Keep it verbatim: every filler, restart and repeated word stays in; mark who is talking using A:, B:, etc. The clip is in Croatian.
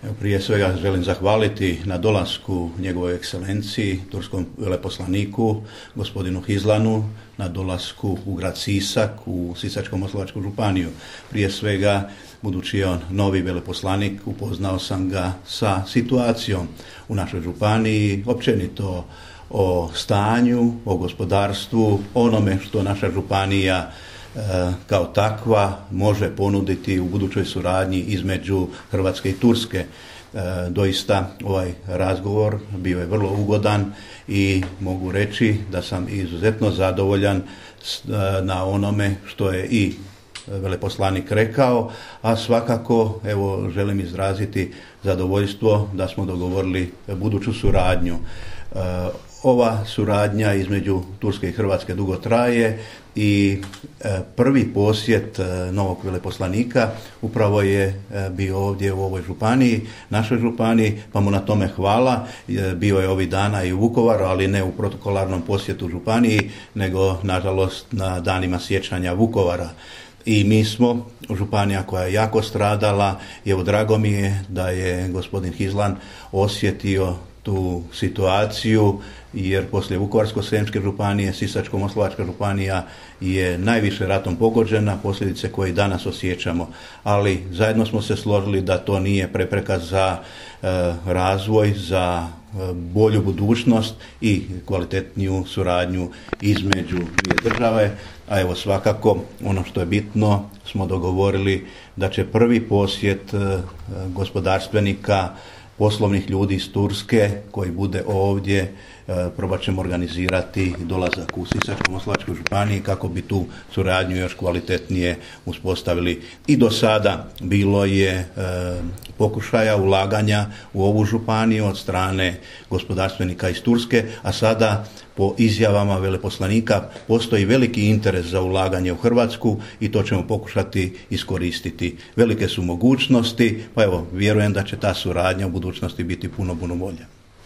A: Prije svega želim zahvaliti na dolasku njegovoj ekscelenciji, turskom veleposlaniku, gospodinu Hizlanu, na dolasku u grad Sisak, u Sisačko-moslavačku županiju. Prije svega, budući je on novi veleposlanik, upoznao sam ga sa situacijom u našoj županiji, općenito o stanju, o gospodarstvu, onome što naša županija kao takva može ponuditi u budućoj suradnji između Hrvatske i Turske. Doista ovaj razgovor bio je vrlo ugodan i mogu reći da sam izuzetno zadovoljan na onome što je i veleposlanik rekao, a svakako evo želim izraziti zadovoljstvo da smo dogovorili buduću suradnju. Ova suradnja između Turske i Hrvatske dugo traje i prvi posjet novog veleposlanika upravo je bio ovdje u ovoj županiji, našoj županiji, pa mu na tome hvala. Bio je ovih dana i u Vukovaru, ali ne u protokolarnom posjetu županiji, nego nažalost na danima sjećanja Vukovara. I mi smo županija koja je jako stradala i evo drago mi je da je gospodin Hizlan osjetio tu situaciju, jer poslije Vukovarsko-srijemske županije, Sisačko-moslavačka županija je najviše ratom pogođena, posljedice koje danas osjećamo. Ali zajedno smo se složili da to nije prepreka za e, razvoj, za e, bolju budućnost i kvalitetniju suradnju između dvije države. A evo svakako ono što je bitno, smo dogovorili da će prvi posjet e, gospodarstvenika, poslovnih ljudi iz Turske koji bude ovdje, probat ćemo organizirati dolazak u Sisačko-moslavačku županiju kako bi tu suradnju još kvalitetnije uspostavili. I do sada bilo je e, pokušaja ulaganja u ovu županiju od strane gospodarstvenika iz Turske, a sada po izjavama veleposlanika postoji veliki interes za ulaganje u Hrvatsku i to ćemo pokušati iskoristiti. Velike su mogućnosti, pa evo vjerujem da će ta suradnja u budućnosti biti puno, puno bolja.